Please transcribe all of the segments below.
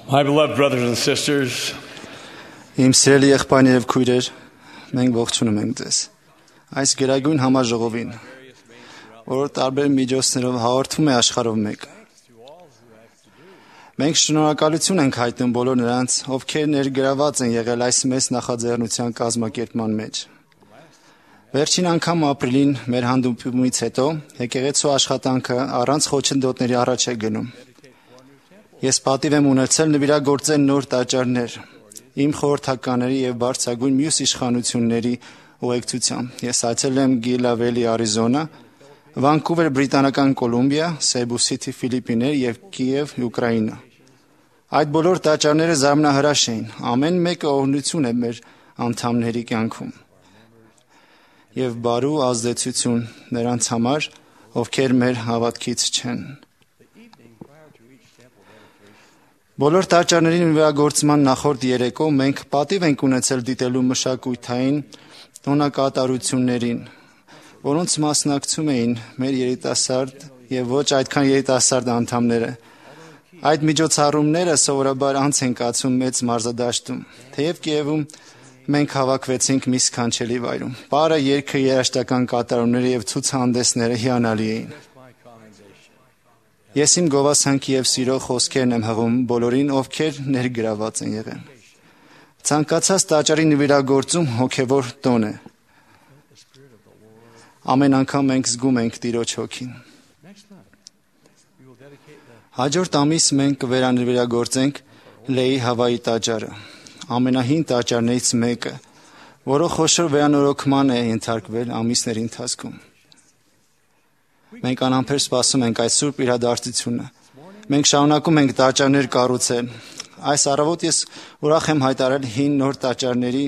My beloved brothers and sisters, Իմ սիրելի եղբայրներ եւ քույրեր, մենք ողջունում ենք ձեզ։ Այս գերագույն համաժողովին, որը տարբեր միջոցներով հաղորդում է աշխարհով մեկ։ Մենք շնորհակալություն ենք հայտնում բոլոր նրանց, ովքեր ներգրաված են եղել այս մեծ նախաձեռնության կազմակերպման մեջ։ Վերջին անգամ ապրիլին մեր հանդիպումից հետո եկեղեցու աշխատանքը առանց խոչընդոտների առաջ է գնում։ Ես պատիվ եմ ունեցել նվիրագործել նոր տաճարներ իմ խորհրդականների եւ բարձրագույն մյուս իշխանությունների ուղեկցությամբ։ Ես այցելել եմ Գիլավելի, Արիզոնա, Վանկուվեր, Բրիտանական Կոլումբիա, Սեբու Սիթի, Ֆիլիպիններ եւ Կիև, Ուկրաինա։ Այդ բոլոր տաճարները զարմանահրաշ էին։ Ամեն մեկը օրհնություն է մեր անդամների կյանքում եւ բարու ազդեցություն նրանց համար, ովքեր մեր հավատքից չեն։ Բոլոր տաճարների նվիրագործման նախորդ երեկո մենք պատիվ ենք ունեցել դիտելու մշակութային տոնակատարություններին, որոնց մասնակցում էին մեր երիտասարդ եւ ոչ այդքան երիտասարդ անդամները։ Այդ միջոցառումները սովորաբար անց են կացում մեծ մարզադաշտում, թեև Կիևում մենք հավաքվեցինք մի սքանչելի վայրում։ Պարը երգը, երաժշտական կատարումները եւ ցուցահանդեսները հիանալի էին։ Ես իմ գովասանքի եւ սիրո խոսքերն եմ հղում բոլորին, ովքեր ներգրաված են եղել։ Ցանկացած տաճարի նվիրագործում հոգեվոր տոն է։ Ամեն անգամ մենք զգում ենք Տիրոջ հոգին։ Հաջորդ ամիս մենք կվերանվիրագործենք Լեի Հավայի տաճարը, ամենահին տաճարներից մեկը, որը խոշոր վերանորոգման է ենթարկվել ամիսների ընթացքում։ Մենք անհամբեր սպասում ենք այս սուրբ իրադարձությունը։ Մենք շարունակում ենք տաճարներ կառուցել։ Այս առավոտ ես ուրախ եմ հայտարարել 5 նոր տաճարների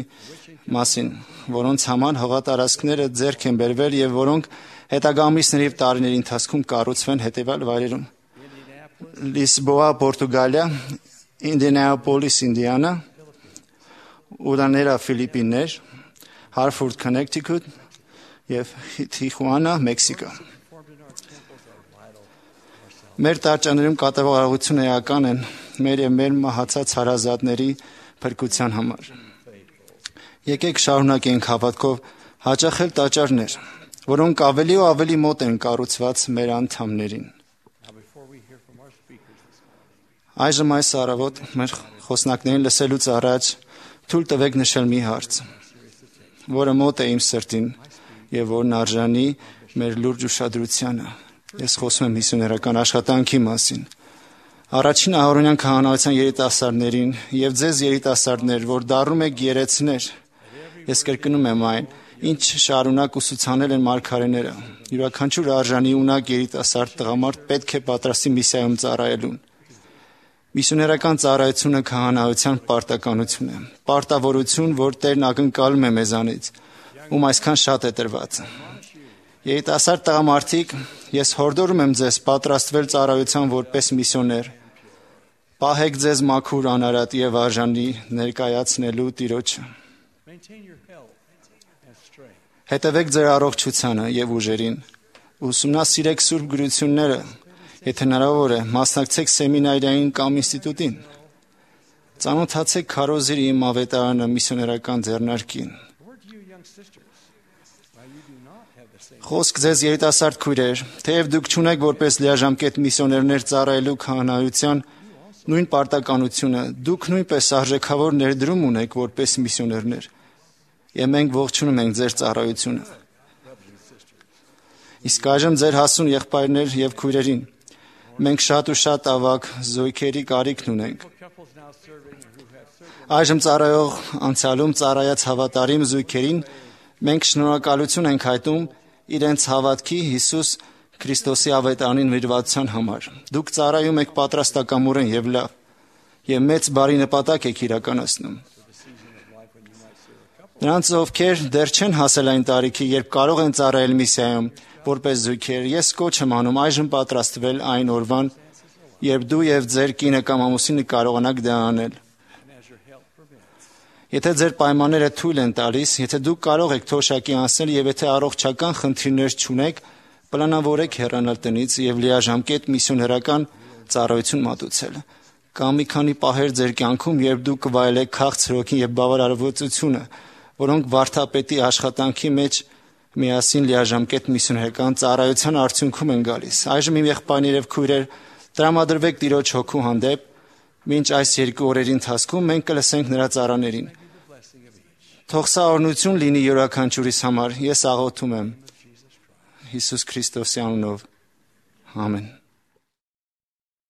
մասին, որոնց համար հողատարածքները ձեռք են բերվել եւ որոնք հետագա ամիսների եւ տարիների ընթացքում կառուցվեն հետեւյալ վայրերում. Լիսբոա, Պորտուգալիա, Ինդիանապոլիս, Ինդիանա, Ուրաներա, Ֆիլիպիններ, Հարֆորդ, Քոնեկթիքութ եւ Թիխուանա, Մեքսիկո։ Մեր տաճարներում կատարվող արարողությունները էական են մեր եւ մեր մահացած հարազատների փրկության համար։ Եկեք շարունակենք հավատքով հաճախել տաճարներ, որոնք ավելի ու ավելի մոտ են կառուցված մեր անդամներին։ Այժմ այս առավոտ մեր խոսնակներին լսելուց առաջ թույլ տվեք նշել մի հարց, որը մոտ է իմ սրտին եւ որն արժանի մեր լուրջ ուշադրությանը։ Ես խոսում եմ միսիոներական աշխատանքի մասին։ Առաջին ahoronian քահանայության երիտասարդներին եւ ձեզ երիտասարդներ, որ դառնում եք երեցներ, ես կրկնում եմ այն, ինչ շարունակ ուսուցանել են մարգարեները։ Յուրաքանչյուր արժանի ունակ երիտասարդ տղամարդ պետք է պատրաստի միսիայում ծառայելուն։ Միսիոներական ծառայությունը քահանայության պարտականություն է, պարտավորություն, որ Տերն ակնկալում է մեզանից, ում այսքան շատ է տրված։ Երիտասարդ տղամարդիկ, ես հորդորում եմ ձեզ պատրաստվել ծառայության որպես միսիոներ։ Պահեք ձեզ մաքուր, անարատ եւ արժանի ներկայացնելու Տիրոջը։ Հետևեք ձեր առողջությանը եւ ուժերին։ Ուսումնասիրեք սուրբ գրությունները, եթե հնարավոր է, մասնակցեք սեմինարային կամ ինստիտուտին։ Ծանոթացեք քարոզիրի իմ ավետարանը միսիոներական ձեռնարկին։ Խոսք ձեզ երիտասարդ քույրեր, թեև դուք չունեք որպես լիաժամկետ միսիոներներ ծառայելու քահանայության նույն պարտականությունը, դուք նույնպես արժեքավոր ներդրում ունեք որպես միսիոներներ, եւ մենք ողջունում ենք ձեր ծառայությունը։ Իսկ այժմ ձեր հասուն եղբայրներ եւ քույրերին, մենք շատ ու շատ ավագ զույգերի կարիքն ունենք։ Այժմ ծառայող անցյալում ծառայած հավատարիմ զույգերին մենք շնորհակալություն ենք հայտնում իրենց հավատքի Հիսուս Քրիստոսի ավետարանի նվիրվածության համար։ Դուք ծառայում եք պատրաստակամորեն եւ լավ, եւ մեծ բարի նպատակ եք իրականացնում։ Նրանց, ովքեր դեռ չեն հասել այն տարիքի, երբ կարող են ծառայել միսիայում որպես զույգեր, ես կոչ եմ անում այժմ պատրաստվել այն օրվան, երբ դու եւ ձեր կինը կամ ամուսինը կարողանաք դա անել։ Եթե ձեր պայմանները թույլ են տալիս, եթե դուք կարող եք թոշակի անցնել եւ եթե առողջական խնդիրներ չունեք, պլանավորեք հեռանալ տնից եւ լիաժամկետ միսիոներական ծառայություն մատուցել։ Կամ մի քանի պահեր ձեր կյանքում, երբ դուք կվայելեք քաղցր հոգին եւ բավարարվածությունը, որոնք վարդապետի աշխատանքի մեջ միասին լիաժամկետ միսիոներական ծառայության արդյունքում են գալիս։ Այժմ իմ եղբայրներ եւ քույրեր, տրամադրվեք Տիրոջ հոգու հանդեպ, մինչ այս 2 օրերի ընթացքում մենք կլսենք նրա ծառաներին։ Թող սա օրհնություն լինի յուրաքանչյուրիս համար։ Ես աղոթում եմ Հիսուս Քրիստոսի անունով։ Ամեն։